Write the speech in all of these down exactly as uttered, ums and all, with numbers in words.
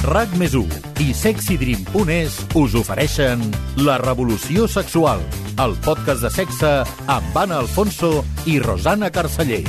RAC més u i sexydream punt es us ofereixen La Revolució Sexual, el podcast de sexe amb Anna Alfonso i Rosana Carceller.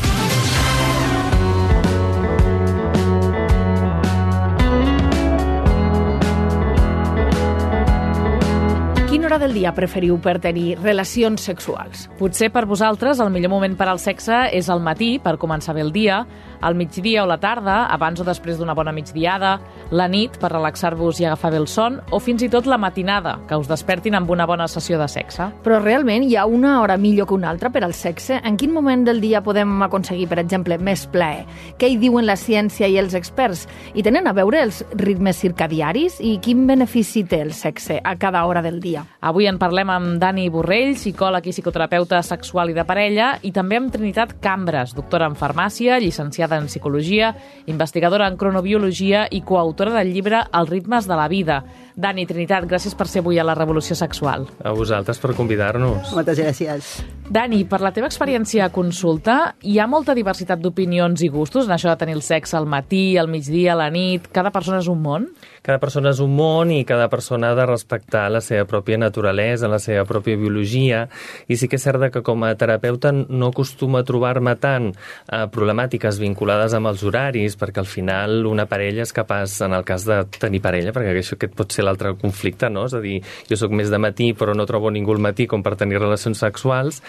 Quina hora del dia preferiu per tenir relacions sexuals? Potser per vosaltres el millor moment per al sexe és al matí, per començar bé el dia, al migdia o la tarda, abans o després d'una bona migdiada, la nit, per relaxar-vos i agafar bé el son, o fins i tot la matinada, que us despertin amb una bona sessió de sexe. Però realment hi ha una hora millor que una altra per al sexe? En quin moment del dia podem aconseguir, per exemple, més plaer? Què hi diuen la ciència i els experts? I tenen a veure els ritmes circadiaris? I quin benefici té el sexe a cada hora del dia? Avui en parlem amb Dani Borrell, psicòleg i psicoterapeuta sexual i de parella, i també amb Trinitat Cambres, doctora en farmàcia, llicenciada en psicologia, investigadora en cronobiologia i coautora del llibre Els ritmes de la vida. Dani, Trinitat, gràcies per ser avui a La Revolució Sexual. A vosaltres per convidar-nos. Moltes gràcies. Dani, per la teva experiència a consulta, hi ha molta diversitat d'opinions i gustos en això de tenir el sexe al matí, al migdia, a la nit? Cada persona és un món? Cada persona és un món i cada persona ha de respectar la seva pròpia naturalesa, la seva pròpia biologia, i sí que és cert que com a terapeuta no acostumo a trobar-me tant eh, problemàtiques vinculades amb els horaris, perquè al final una parella és capaç, en el cas de tenir parella, perquè això aquest pot ser l'altre conflicte, no? És a dir, jo sóc més de matí però no trobo ningú al matí com per tenir relacions sexuals,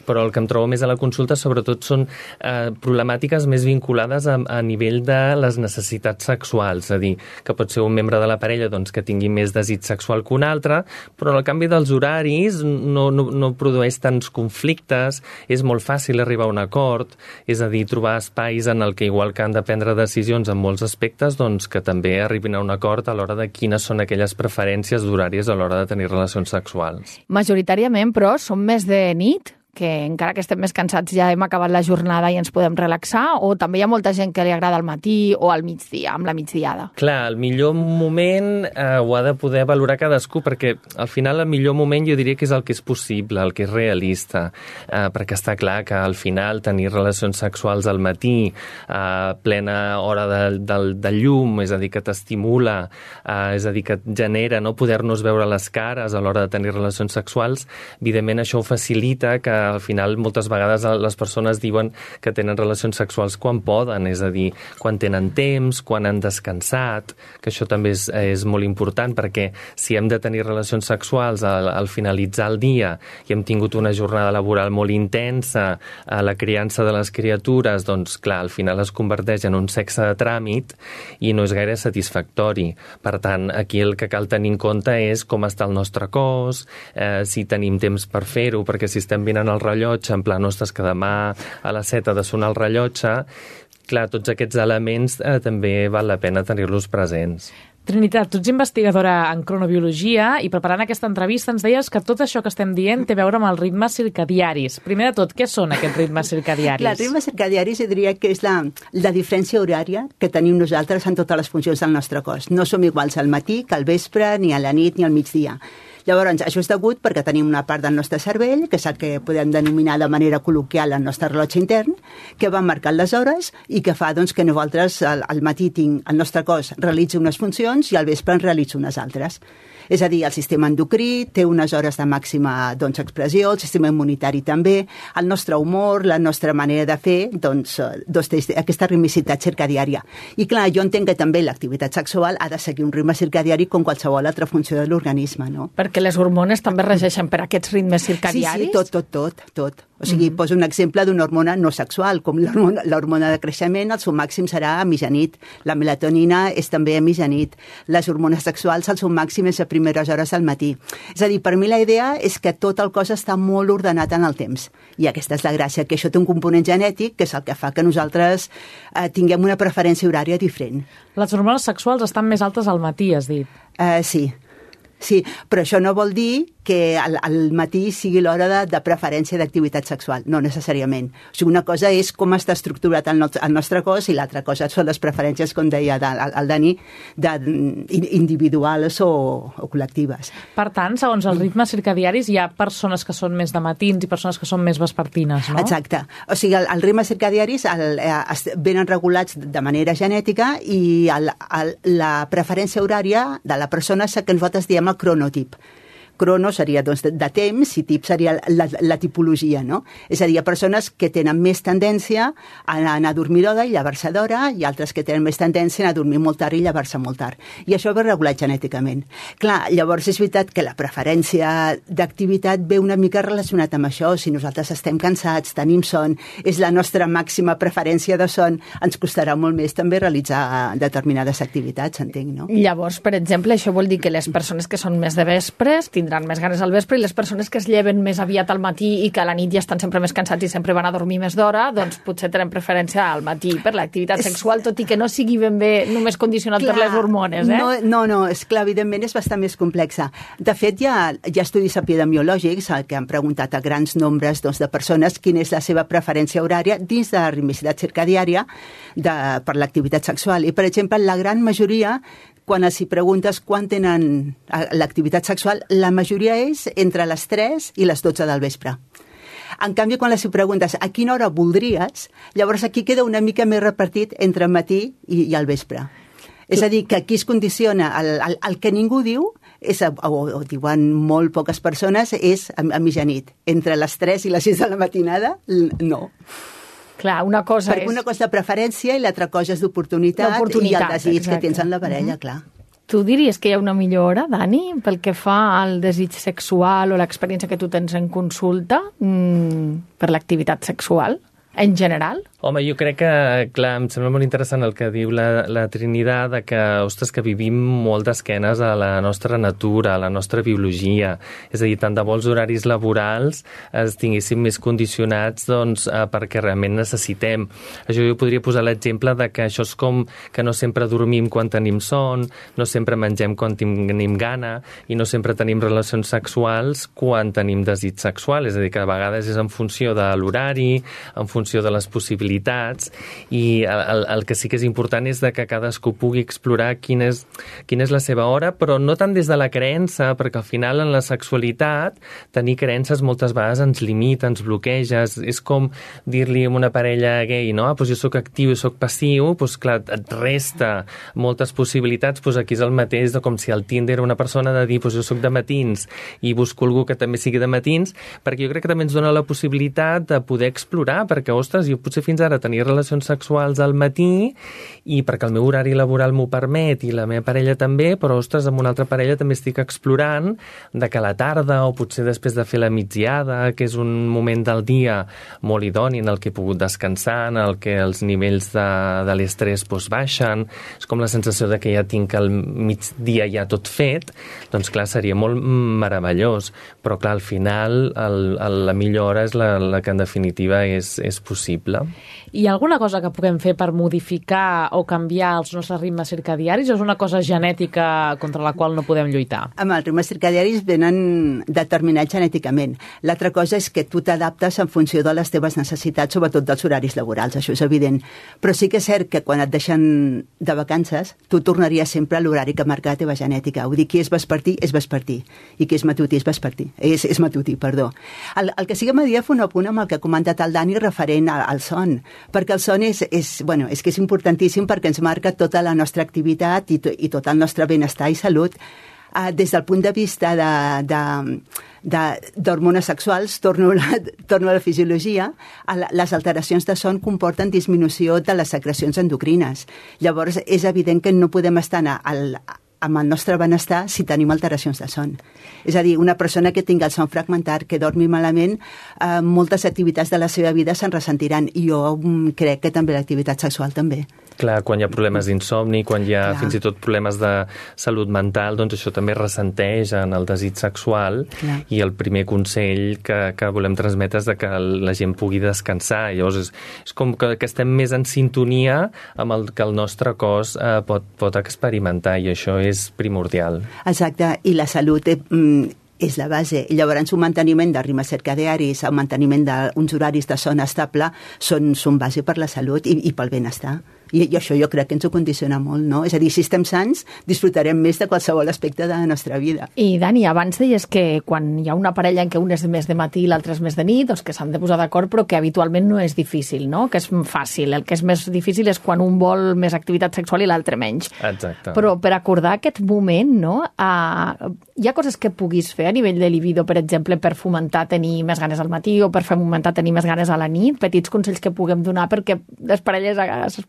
però el que em trobo més a la consulta sobretot són eh, problemàtiques més vinculades a, a nivell de les necessitats sexuals, és a dir, que pot ser un membre de la parella doncs, que tingui més desig sexual que un altre, però en el canvi dels horaris no, no, no produeix tants conflictes, és molt fàcil arribar a un acord, és a dir, trobar espais en el que igual que han de prendre decisions en molts aspectes, doncs que també arribin a un acord a l'hora de quines són aquelles preferències d'horaris a l'hora de tenir relacions sexuals. Majoritàriament, però, són més de nit? Que encara que estem més cansats ja hem acabat la jornada i ens podem relaxar, o també hi ha molta gent que li agrada al matí o al migdia, amb la migdiada? Clar, el millor moment eh, ho ha de poder valorar cadascú, perquè al final el millor moment jo diria que és el que és possible, el que és realista, eh, perquè està clar que al final tenir relacions sexuals al matí, a plena hora de, de, de llum, és a dir, que t'estimula, eh, és a dir, que et genera no poder-nos veure les cares a l'hora de tenir relacions sexuals, evidentment això ho facilita que al final moltes vegades les persones diuen que tenen relacions sexuals quan poden, és a dir, quan tenen temps, quan han descansat, que això també és, és molt important, perquè si hem de tenir relacions sexuals al, al finalitzar el dia i hem tingut una jornada laboral molt intensa, a la criança de les criatures, doncs clar, al final es converteix en un sexe de tràmit i no és gaire satisfactori. Per tant, aquí el que cal tenir en compte és com està el nostre cos, eh, si tenim temps per fer-ho, perquè si estem mirant el rellotge, en plan, ostres, que demà a les set ha de sonar el rellotge, clar, tots aquests elements eh, també val la pena tenir-los presents. Trinitat, tu ets investigadora en cronobiologia i preparant aquesta entrevista ens deies que tot això que estem dient té a veure amb els ritmes circadiaris. Primer de tot, què són aquests ritmes circadiaris? Clar, els ritmes circadiaris jo diria que és la, la diferència horària que tenim nosaltres en totes les funcions del nostre cos. No som iguals al matí que al vespre, ni a la nit, ni al migdia. Llavors, això és degut perquè tenim una part del nostre cervell, que és el que podem denominar de manera col·loquial el nostre rellotge intern, que va marcant les hores i que fa doncs, que nosaltres al, al matí tinc, el nostre cos realitzi unes funcions i al vespre en realitzi unes altres. És a dir, el sistema endocrí té unes hores de màxima doncs, expressió, el sistema immunitari també, el nostre humor, la nostra manera de fer, doncs, doncs aquesta ritmicitat circadiària. I clar, jo entenc que també l'activitat sexual ha de seguir un ritme circadiari com qualsevol altra funció de l'organisme, no? Perquè les hormones també regeixen per aquests ritmes circadiaris? Sí, sí, tot, tot, tot, tot. O sigui, mm-hmm. poso un exemple d'una hormona no sexual, com l'hormona de creixement, el seu màxim serà a mitjanit. La melatonina és també a mitjanit. Les hormones sexuals, el seu màxim és a primeres hores al matí. És a dir, per mi la idea és que tot el cos està molt ordenat en el temps. I aquesta és la gràcia, que això té un component genètic, que és el que fa que nosaltres eh, tinguem una preferència horària diferent. Les hormones sexuals estan més altes al matí, has dit. Uh, sí. Sí, però això no vol dir que al, al matí sigui l'hora de, de preferència d'activitat sexual, no necessàriament. O sigui, una cosa és com està estructurat el, no, el nostre cos i l'altra cosa són les preferències, com deia el, el Dani, de, individuals o, o col·lectives. Per tant, segons els ritmes circadiaris, hi ha persones que són més de matins i persones que són més vespertines, no? Exacte. O sigui, el, els ritmes circadiaris el, el, venen regulats de manera genètica i el, el, la preferència horària de la persona és el que nosaltres diem el cronotip. Crono seria doncs, de, de temps i tip seria la, la tipologia, no? És a dir, hi ha persones que tenen més tendència a anar a dormir d'hora i llevar-se d'hora i altres que tenen més tendència a anar a dormir molt tard i llevar-se molt tard. I això ve regulat genèticament. Clar, llavors és veritat que la preferència d'activitat ve una mica relacionat amb això. Si nosaltres estem cansats, tenim son, és la nostra màxima preferència de son, ens costarà molt més també realitzar determinades activitats, entenc, no? Llavors, per exemple, això vol dir que les persones que són més de vespres tindran més ganes al vespre i les persones que es lleven més aviat al matí i que a la nit ja estan sempre més cansats i sempre van a dormir més d'hora, doncs potser tenen preferència al matí per l'activitat sexual, tot i que no sigui ben bé només condicionat clar, per les hormones, eh? No, no, no, és clar, evidentment és bastant més complexa. De fet, hi ha, hi ha estudis epidemiològics que han preguntat a grans nombres doncs, de persones quina és la seva preferència horària dins de la ritmicitat circadiària de, per l'activitat sexual. I, per exemple, la gran majoria, quan els hi preguntes quan tenen l'activitat sexual, la majoria és entre les tres i les dotze del vespre. En canvi, quan els hi preguntes a quina hora voldries, llavors aquí queda una mica més repartit entre el matí i, i el vespre. És a dir, que aquí es condiciona, el, el, el que ningú diu, és, o, o diuen molt poques persones, és a, a mitjanit. Entre les tres i les sis de la matinada, no. Clar, una cosa Perquè és... una cosa de preferència i l'altra cosa és d'oportunitat i el desig exacte. Que tens en la parella, mm-hmm. clar. Tu diries que hi ha una millor hora, Dani, pel que fa al desig sexual o l'experiència que tu tens en consulta mmm, per l'activitat sexual, en general? Home, jo crec que, clar, em sembla molt interessant el que diu la, la Trinidad, de que, ostres, que vivim molt d'esquenes a la nostra natura, a la nostra biologia. És a dir, tant de vols horaris laborals es tinguéssim més condicionats doncs, eh, perquè realment necessitem. Això jo podria posar l'exemple de que això és com que no sempre dormim quan tenim son, no sempre mengem quan tenim gana i no sempre tenim relacions sexuals quan tenim desig sexual. És a dir, que a vegades és en funció de l'horari, en funció de les possibilitats, i el, el que sí que és important és de que cadascú pugui explorar quina és, quina és la seva hora, però no tant des de la creença, perquè al final en la sexualitat tenir creences moltes vegades ens limita, ens bloqueja. És com dir-li a una parella gay, no? Ah, doncs jo soc actiu i soc passiu, doncs clar, et resta moltes possibilitats. Doncs aquí és el mateix de com si el Tinder era una persona de dir, doncs jo soc de matins i busco algú que també sigui de matins, perquè jo crec que també ens dona la possibilitat de poder explorar, perquè, ostres, jo potser fins ara tenir relacions sexuals al matí i perquè el meu horari laboral m'ho permet i la meva parella també, però, ostres, amb una altra parella també estic explorant de que a la tarda o potser després de fer la migdiada, que és un moment del dia molt idoni en el que he pogut descansar, en el que els nivells de, de l'estrès doncs, baixen, és com la sensació de que ja tinc el migdia ja tot fet, doncs clar, seria molt meravellós, però clar, al final el, el, la millor hora és la, la que en definitiva és, és possible. Hi ha alguna cosa que puguem fer per modificar o canviar els nostres ritmes circadiaris o és una cosa genètica contra la qual no podem lluitar? Amb els ritmes circadiaris venen determinats genèticament. L'altra cosa és que tu t'adaptes en funció de les teves necessitats, sobretot dels horaris laborals, això és evident. Però sí que és cert que quan et deixen de vacances, tu tornaries sempre a l'horari que marca la teva genètica. Vull dir, qui és vespertí, és vespertí. I qui és matutí, és vespertí. És, és matutí, perdó. El, el que sí que m'agradaria fer un apunt amb el que ha comentat el Dani referent al, al son, perquè el son és, és, bueno, és que és importantíssim perquè ens marca tota la nostra activitat i, to, i tot el nostre benestar i salut. Uh, des del punt de vista d'hormones sexuals, torno a, la, torno a la fisiologia, a la, les alteracions de son comporten disminució de les secrecions endocrines. Llavors, és evident que no podem estar al, amb el nostre benestar si tenim alteracions de son. És a dir, una persona que tingui el son fragmentat, que dormi malament, eh, moltes activitats de la seva vida se'n ressentiran, i jo mm, crec que també l'activitat sexual també. Clar, quan hi ha problemes d'insomni, quan hi ha Clar. fins i tot problemes de salut mental, doncs això també ressenteix en el desig sexual. Clar. I el primer consell que, que volem transmetre és de que la gent pugui descansar. Llavors és, és com que, que estem més en sintonia amb el que el nostre cos eh, pot, pot experimentar, i això és primordial. Exacte, i la salut eh, és la base. Llavors, un manteniment de ritmes circadiaris, un manteniment d'uns horaris de son estable són, són base per la salut i, i pel benestar. I, I això jo crec que ens ho condiciona molt, no? És a dir, si estem sants, disfrutarem més de qualsevol aspecte de la nostra vida. I, Dani, abans deies que quan hi ha una parella en què un és més de matí i l'altre és més de nit, doncs que s'han de posar d'acord, però que habitualment no és difícil, no? Que és fàcil. El que és més difícil és quan un vol més activitat sexual i l'altre menys. Exacte. Però per acordar aquest moment, no? Uh, hi ha coses que puguis fer a nivell de libido, per exemple, per fomentar tenir més ganes al matí o per fomentar tenir més ganes a la nit? Petits consells que puguem donar perquè les parelles es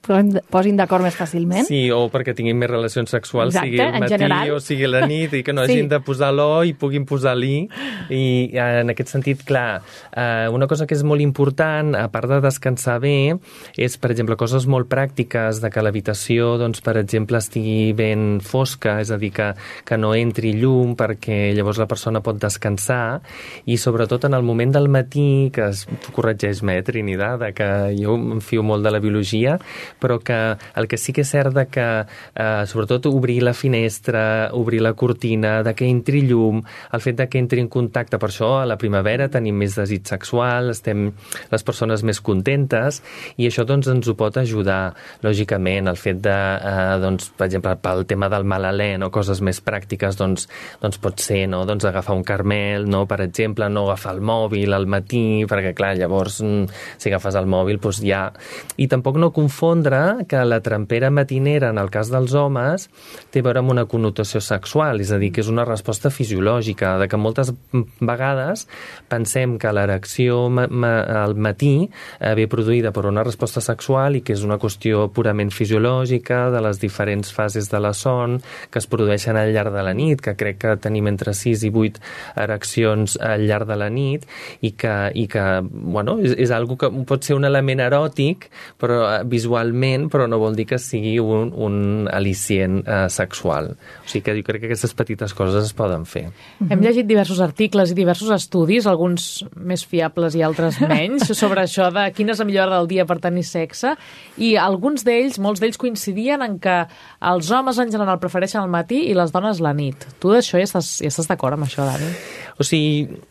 posin d'acord més fàcilment? Sí, o perquè tinguin més relacions sexuals, Exacte, sigui el matí general. o sigui la nit, i que no Sí. hagin de posar l'o i puguin posar l'i. I en aquest sentit, clar, eh, una cosa que és molt important, a part de descansar bé, és, per exemple, coses molt pràctiques, de que l'habitació, doncs, per exemple, estigui ben fosca, és a dir, que, que no entri llum perquè llavors la persona pot descansar, i sobretot en el moment del matí, que es corregeix-me, eh, Trinidad, que jo em fio molt de la biologia, però que el que sí que és cert de que, eh, sobretot, obrir la finestra, obrir la cortina, de que entri llum, el fet de que entri en contacte, per això a la primavera tenim més desig sexual, estem les persones més contentes, i això doncs ens ho pot ajudar, lògicament, el fet de, eh, doncs, per exemple, pel tema del mal alè, no, coses més pràctiques, doncs, doncs pot ser, no, doncs agafar un carmel, no, per exemple, no agafar el mòbil al matí, perquè clar, llavors si agafes el mòbil, doncs ja... I tampoc no confondre que la trempera matinera, en el cas dels homes, té a veure amb una connotació sexual, és a dir, que és una resposta fisiològica, de que moltes vegades pensem que l'erecció ma ma al matí eh, ve produïda per una resposta sexual i que és una qüestió purament fisiològica de les diferents fases de la son que es produeixen al llarg de la nit, que crec que tenim entre sis i vuit ereccions al llarg de la nit, i que, i que bueno, és, és algo que pot ser un element eròtic, però eh, visualment, però no vol dir que sigui un, un al·licient eh, sexual. O sigui que jo crec que aquestes petites coses es poden fer. Hem llegit diversos articles i diversos estudis, alguns més fiables i altres menys, sobre això de quina és la millor hora del dia per tenir sexe, i alguns d'ells, molts d'ells coincidien en que els homes en general prefereixen el matí i les dones la nit. Tu d'això ja estàs, ja estàs d'acord amb això, Dani? O sigui...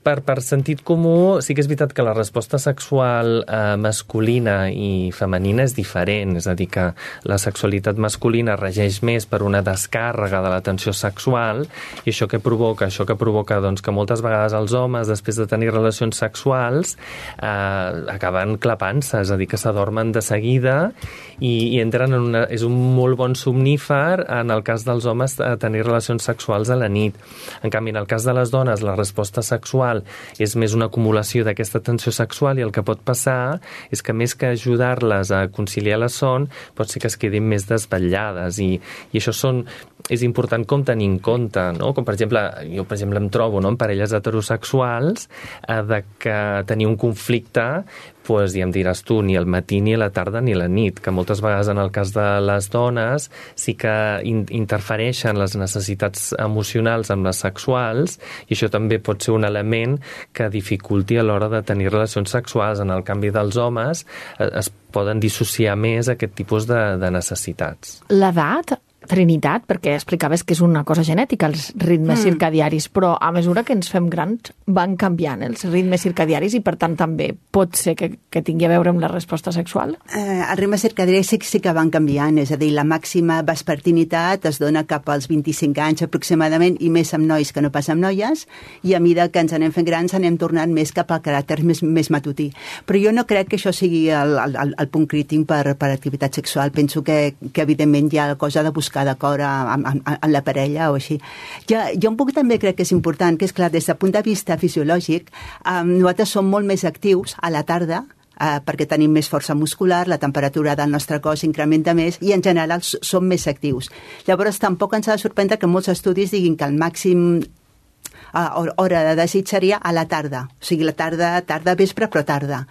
Per, per sentit comú, sí que és veritat que la resposta sexual eh, masculina i femenina és diferent, és a dir, que la sexualitat masculina regeix més per una descàrrega de la tensió sexual, i això que provoca? Això que provoca doncs, que moltes vegades els homes, després de tenir relacions sexuals, eh, acaben clapant-se, és a dir, que s'adormen de seguida i, i entren en una... És un molt bon somnífer, en el cas dels homes, a tenir relacions sexuals a la nit. En canvi, en el cas de les dones, la resposta sexual és més una acumulació d'aquesta tensió sexual, i el que pot passar és que més que ajudar-les a conciliar la son, pot ser que es quedin més desvetllades, i, i això són, és important com tenir en compte, no? Com per exemple, jo per exemple em trobo, no, en parelles heterosexuals eh, de que tenir un conflicte, pues, ja em diràs tu, ni al matí, ni a la tarda, ni a la nit, que moltes vegades en el cas de les dones sí que in interfereixen les necessitats emocionals amb les sexuals, i això també pot ser un element que dificulti a l'hora de tenir relacions sexuals. En el canvi dels homes eh, es poden dissociar més aquest tipus de, de necessitats. L'edat, Trinitat, perquè explicaves que és una cosa genètica, els ritmes mm. circadiaris, però a mesura que ens fem grans van canviant els ritmes circadiaris i, per tant, també pot ser que, que tingui a veure amb la resposta sexual? Eh, els ritmes circadiaris sí, sí que van canviant, és a dir, la màxima vespertinitat es dona cap als vint-i-cinc anys aproximadament, i més amb nois que no pas amb noies, i a mesura que ens anem fent grans anem tornant més cap al caràcter més, més matutí. Però jo no crec que això sigui el, el, el punt crític per, per activitat sexual. Penso que, que evidentment hi ha cosa de buscar d'acord amb, amb, amb la parella o així. Jo, jo un poc també crec que és important, que és clar, des del punt de vista fisiològic, eh, nosaltres som molt més actius a la tarda, eh, perquè tenim més força muscular, la temperatura del nostre cos incrementa més i en general som més actius. Llavors tampoc ens ha de sorprendre que molts estudis diguin que el màxim eh, hora de desig seria a la tarda, o sigui la tarda, tarda vespre però tarda.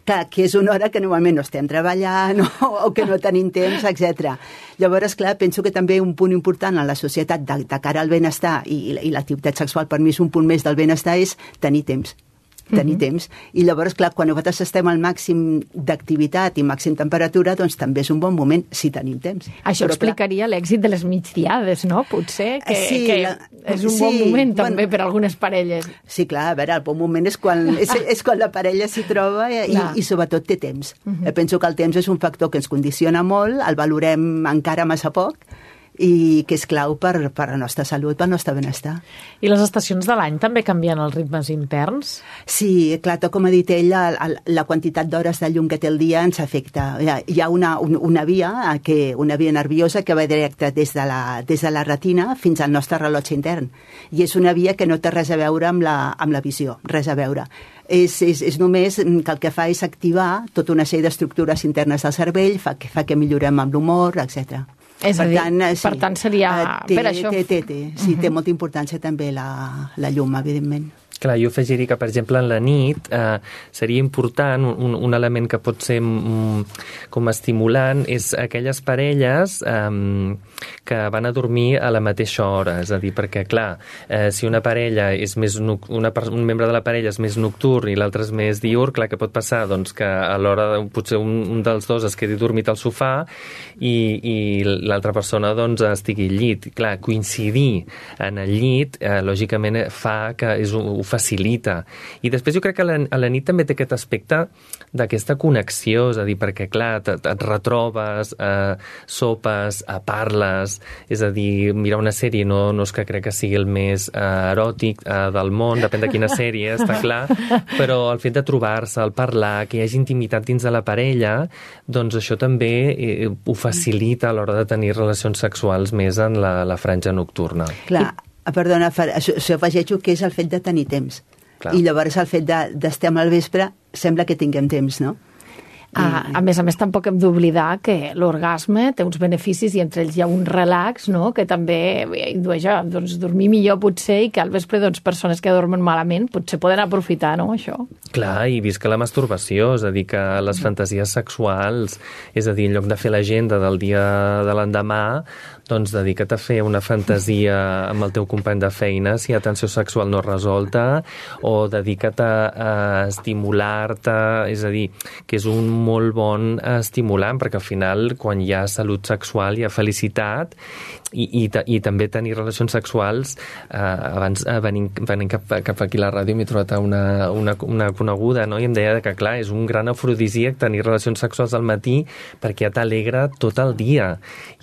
Clar, que és una hora que normalment no estem treballant o, o que no tenim temps, etcètera. Llavors, clar, penso que també un punt important en la societat de, de cara al benestar i, i l'activitat sexual per mi és un punt més del benestar és tenir temps. tenir uh-huh. temps. I llavors, clar, quan nosaltres estem al màxim d'activitat i màxim temperatura, doncs també és un bon moment si tenim temps. Això Però, explicaria l'èxit de les migdiades, no? Potser que, sí, que la, és un sí, bon moment també bueno, per a algunes parelles. Sí, clar, a veure, el bon moment és quan, és, és quan la parella s'hi troba i, i, i sobretot té temps. Uh-huh. Penso que el temps és un factor que ens condiciona molt, el valorem encara massa poc, i que és clau per, per la nostra salut, pel nostre benestar. I les estacions de l'any també canvien els ritmes interns? Sí, clar, tot com ha dit ell, la, la quantitat d'hores de llum que té el dia ens afecta. Hi ha, hi ha una, un, una via, que, una via nerviosa que va directe des de, la, des de la retina fins al nostre rellotge intern. I és una via que no té res a veure amb la, amb la visió, res a veure. És, és, és només que el que fa és activar tota una sèrie d'estructures internes del cervell, fa que, fa que millorem amb l'humor, etcètera. És a dir, tant, sí, per tant seria té, per això. Té, té, té. Sí, uh-huh. té molta importància també la, la llum, evidentment. Clar, jo afegiria que, per exemple, en la nit eh, seria important, un, un element que pot ser mm, com estimulant, és aquelles parelles eh, que van a dormir a la mateixa hora. És a dir, perquè, clar, eh, si una parella és més una, un membre de la parella és més nocturn i l'altre és més diürn, clar, que pot passar doncs, que a l'hora potser un, un dels dos es quedi dormit al sofà i, i l'altra persona doncs, estigui al llit. Clar, coincidir en el llit, eh, lògicament, fa que és un facilita. I després jo crec que a la, a la nit també té aquest aspecte d'aquesta connexió, és a dir, perquè, clar, et, et retrobes, eh, sopes, eh, parles, és a dir, mirar una sèrie no, no és que crec que sigui el més eh, eròtic eh, del món, depèn de quina sèrie, està clar, però el fet de trobar-se, el parlar, que hi hagi intimitat dins de la parella, doncs això també eh, ho facilita a l'hora de tenir relacions sexuals més en la, la franja nocturna. Clar, perdona, això, això afegeixo que és el fet de tenir temps. Clar. I llavors el fet d'estar de, al vespre sembla que tinguem temps, no? A, a més a més, tampoc hem d'oblidar que l'orgasme té uns beneficis i entre ells hi ha un relax, no?, que també indueix a doncs, dormir millor potser i que al vespre doncs, persones que dormen malament potser poden aprofitar, no?, això. Clar, i visca la masturbació, és a dir, que les fantasies sexuals, és a dir, en lloc de fer l'agenda del dia de l'endemà, doncs dedica't a fer una fantasia amb el teu company de feina si hi ha tensió sexual no resolta, o dedica't a, a estimular-te, és a dir, que és un molt bon estimulant, perquè al final, quan hi ha salut sexual, hi ha felicitat, i, i, i també tenir relacions sexuals. Eh, abans eh, venint, venint cap, cap aquí a la ràdio m'he trobat una, una, una coneguda, no?, i em deia que, clar, és un gran afrodisíac tenir relacions sexuals al matí perquè ja t'alegra tot el dia.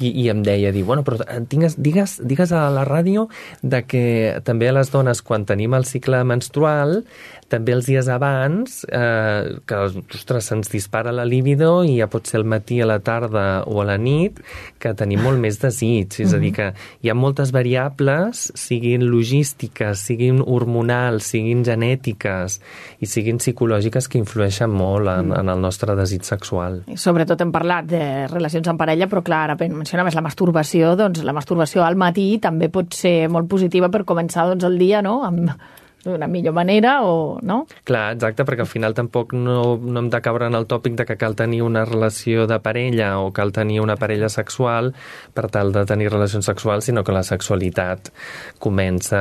I, i em deia, diu, bueno, però digues, digues, digues a la ràdio de que també a les dones, quan tenim el cicle menstrual, també els dies abans, eh, que, ostres, se'ns dispara la libido i ja pot ser al matí, a la tarda o a la nit, que tenim molt més desig. És a dir, que hi ha moltes variables, siguin logístiques, siguin hormonals, siguin genètiques i siguin psicològiques, que influeixen molt en, en el nostre desig sexual. I sobretot hem parlat de relacions en parella, però clar, ara mencionaves la masturbació, doncs la masturbació al matí també pot ser molt positiva per començar doncs, el dia, no?, amb d'una millor manera, o no? Clar, exacte, perquè al final tampoc no, no hem de caure en el tòpic de que cal tenir una relació de parella o cal tenir una parella sexual per tal de tenir relacions sexuals, sinó que la sexualitat comença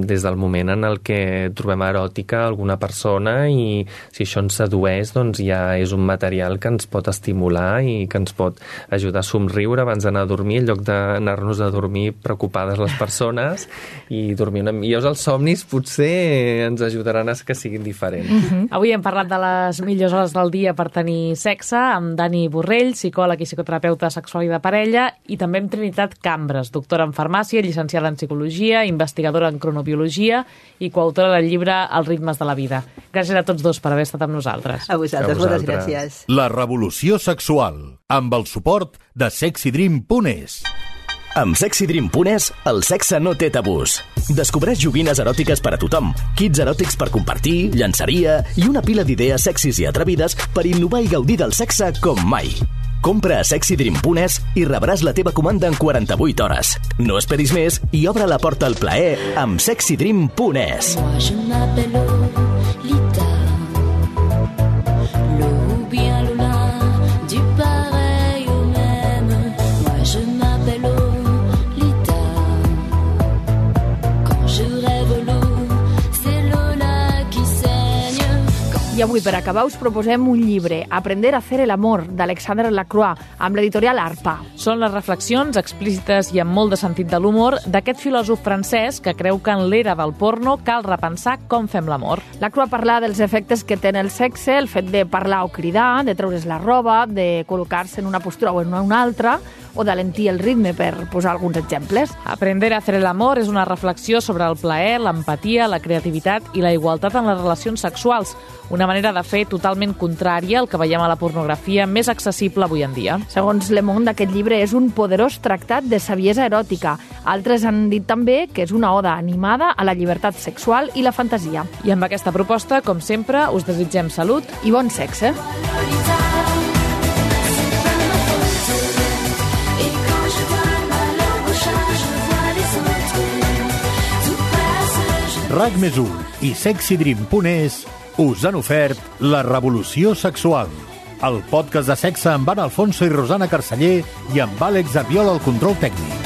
des del moment en el que trobem eròtica alguna persona, i si això ens sedueix, doncs ja és un material que ens pot estimular i que ens pot ajudar a somriure abans d'anar a dormir, en lloc d'anar-nos a dormir preocupades les persones i dormir una... I llavors els somnis potser ens ajudaran a que siguin diferents. Uh-huh. Avui hem parlat de les millors hores del dia per tenir sexe amb Dani Borrell, psicòleg i psicoterapeuta sexual i de parella, i també amb Trinitat Cambres, doctora en farmàcia, llicenciada en psicologia, investigadora en cronobiologia i coautora del llibre Els ritmes de la vida. Gràcies a tots dos per haver estat amb nosaltres. A vosaltres, moltes gràcies. La revolució sexual, amb el suport de sexydream punt es. Amb sexydream punt es, el sexe no té tabús. Descobreix joguines eròtiques per a tothom, kits eròtics per compartir, llançaria i una pila d'idees sexis i atrevides per innovar i gaudir del sexe com mai. Compra a sexydream punt es i rebràs la teva comanda en quaranta-vuit hores. No esperis més i obre la porta al plaer amb sexydream punt es. I avui, per acabar, us proposem un llibre, Aprender a hacer el amor, d'Alexandre Lacroix, amb l'editorial Arpa. Són les reflexions explícites i amb molt de sentit de l'humor d'aquest filòsof francès que creu que en l'era del porno cal repensar com fem l'amor. Lacroix parla dels efectes que té en el sexe, el fet de parlar o cridar, de treure's la roba, de col·locar-se en una postura o en una altra, o d'alentir el ritme, per posar alguns exemples. Aprender a hacer el amor és una reflexió sobre el plaer, l'empatia, la creativitat i la igualtat en les relacions sexuals, una manera de fer totalment contrària al que veiem a la pornografia més accessible avui en dia. Segons Le Monde, aquest llibre és un poderós tractat de saviesa eròtica. Altres han dit també que és una oda animada a la llibertat sexual i la fantasia. I amb aquesta proposta, com sempre, us desitgem salut i bon sexe. RAC més u i sexy dream punt es us han ofert La revolució sexual, el podcast de sexe amb Anna Alfonso i Rosana Carceller i amb Àlex Arriola al control tècnic.